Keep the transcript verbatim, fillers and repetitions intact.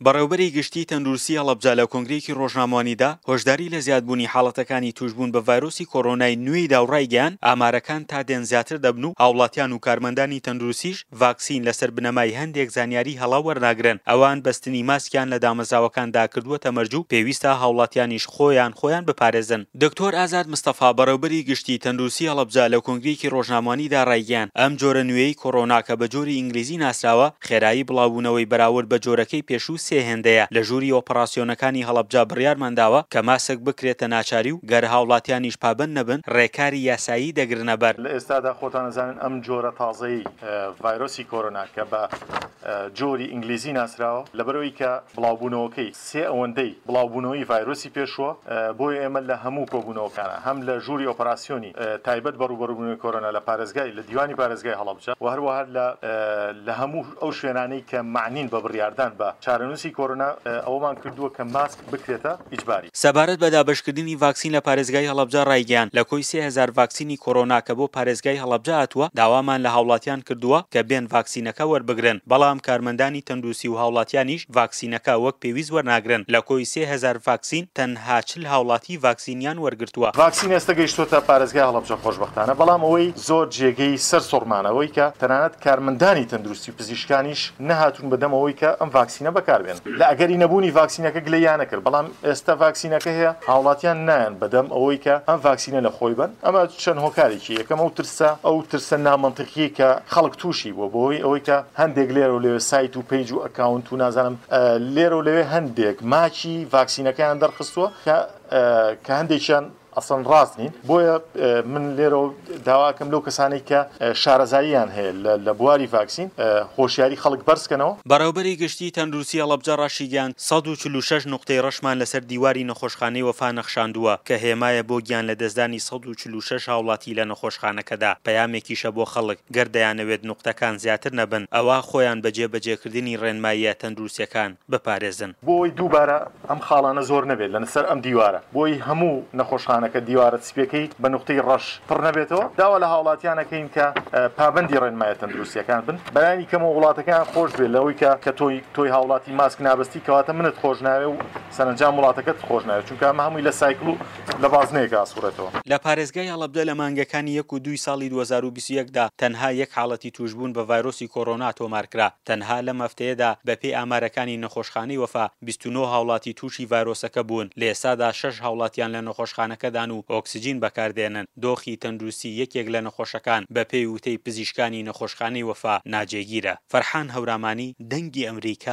بەڕێوبەری گشتی تەندروستی هەڵەبجە لە کۆنگرەیەکی ڕۆژنامەوانیدا هۆشداری لە زیادبوونی حاڵەتەکانی توشبوون بە ڤایرۆسی کۆرۆنای نوێیدا و ڕایگەیاند، ئامارەکان تا دێن زیاتر دەبن و هاوڵاتیان و کارمەندانی تەندروستیش ڤاکسین لەسەر بنەمای هەندێک زانیاری هەڵە وەرناگرن. ئەوان بەستنی ماسکیان لە دامەزراوەکاندا کردووەتە مەرج و پێویستە هاوڵاتیانیش خۆیان خۆیان بپارێزن. دکتۆر ئازاد مستەفا بەڕێوبەری گشتی تەندروستی هەڵەبجە لە کۆنگرەیەکی ڕۆژنامەوانیدا ڕایگەیاند، ئەم جۆرە نوێیەی کۆرۆنا کە بە جۆری ئینگلیزی ناسراوە، خێرایی بڵاوبوونەوەی بەراورد بە جۆرەکەی پێشوو سێ هێندەیە. لە ژووری ئۆپەراسیۆنەکانی هەڵەبجە بڕیارمان داوە کە ماسک بکرێتە ناچاری و گەر هاوڵاتیانیش پابەند نەبن ڕێکاری یاسایی دەگرنەبەر. لە ئێستادا خۆتان ئەزانن ئەم جۆرە تازەی ڤایرۆسی کۆرۆنا کە بە جۆری ئینگلیزی ناسراوە، لەبەرئەوەی کە بڵاوبوونەوەکەی سێ ئەوەندەی بڵاوبوونەوەی ڤایرۆسی پێشووە، بۆیە ئێمە لە هەموو کۆبوونەوەکانە هەم لە ژووری ئۆپەراسیۆنی تایبەت بە ڕووبەڕووبوونەوەی کۆرۆنا لە پارێزگای لە دیوانی پارێزگای هەڵەبجە و هەروەها لە لە هەموو ئەو شوێنانەی کە مەعنین بە بڕیاردان بە چارەنووسی کۆرۆنا ئەوەمان کردووە کە ماسک بکرێتە ئیجباری. سەبارەت بە دابەشکردنی ڤاکسین لە پارێزگای هەڵەبجە ڕایگەیاند، لە کۆی سێ هەزار ڤاکسینی کۆرۆنا کە بۆ پارێزگای هەڵەبجە هاتووە، داوامان لە هاوڵاتیان کردووە کە بێن ڤاکسینەکە وەربگرن، بەڵام کارمەندانی تەندروستی و هاوڵاتیانیش ڤاکسینەکە وەک پێویست وەرناگرن، لە کۆی سێ هەزار ڤاکسین تەنها چل هاوڵاتی ڤاکسینیان وەرگرتووە. ڤاکسین ئێستا گەیشتۆتە پارێزگای هەڵەبجە خۆشبەختانە، بەڵام ئەوەی زۆر جێگەی سەر سوڕمانە ئەوەی کە تەنانەت کارمەندانی تەندروستی و پزیشکانیش نەهاتوون بەدەم ئەوەی کە ئەم ڤاکسینە بەکاربێنن. لە ئەگەری نەبوونی ڤاکسینەکە گلەییان نەکرد، بەڵام ئێستا ڤاکسینەکە هەیە، هاوڵاتیان نایەن بەدەم ئەوەی کە ئەم ڤاکسینە لە خۆی بەن. ئەمە چەند هۆکارێکی، یەکەم ئەو ترسە، ئەو ترسە نامەنتیقیەی کە خەڵک تووشی بووە بەهۆی ئەوەی کە هەندێک لێرە و لەوێ سایت و پەیج و ئەکاونت و نازانم لێرە و لەوێ هەندێک ماکی ڤاکسینەکەیان دەرخستووە کە کە هەندێکیان ئەسڵەن ڕاست نین. بۆیە من لێرەوە داواکەم لەو کەسانەی کە شارەزاییان هەیە لە بواری ڤاکسین هۆشیاری خەڵک بەرزکەنەوە. بەڕێوەبەری گشتیی تەندروستی هەڵەبجە ڕاشیگەیاند، سەد و چل و شەش نوقتەی ڕەشمان لەسەر دیواری نەخۆشخانەی وەفا نەخشاندووە کە هێمایە بۆ گیانلەدەستدانی سەد و چل و شەش هاوڵاتی لە نەخۆشخانەکەدا، پەیامێکیشە بۆ خەڵک گەر دەیانەوێت نوقتەکان زیاتر نەبن ئەوا خۆیان بە جێبەجێکردنی ڕێنماییە تەندروستییەکان بپارێزن. بۆ ئەوەی دووبارە ئەم خاڵانە زۆر نەبێت لەسەر ئەم دیوارە، بۆ ئەوەی هەموو نەخۆشخانەکە دیوارە سپیەکەی بە نوقتەی ڕەش پڕ نەبێتەوە، داوا لە هاوڵاتیان ئەکەین کە پابەندی ڕێنمایە تەندروستیەکان بن، بەلانی کەمەوە وڵاتەکەیان خۆش بێت لەوەی کە کە تۆی تۆی هاوڵاتی ماسک نابەستی کەواتە منت خۆش ناوێ و سەرەنجام وڵاتەکەت خۆش ناوێت، چونکە ئەمە هەمووی لە سایکل و لە بازنەیەکا ئەسوڕێتەوە. لە پارێزگای هەڵەبجە لە مانگەکانی یەک و دووی ساڵی دوو هەزار و بیست و یەک دا تەنها یەک حاڵەتی تووشبوون بە ڤایرۆسی کۆرۆنا تۆمارکرا، تەنها لەم هەفتەیەدا بەپێی ئامارەکانی نەخۆشخانەی وەفا بیست و نۆ هاوڵاتی تووشی ڤایرۆسەکە بوون، لە ئێستادا شەش هاوڵاتیان لە نەخۆشخانەکەدان و ئۆکسجین بەکاردێنن، دۆخی تەندروستی یەکێک لە نەخۆشەکان بەپێی وتەی پزیشکانی نەخۆشخانەی وەفا ناجێگیرە. فەرحان هەورامانی، دەنگی ئەمریکا،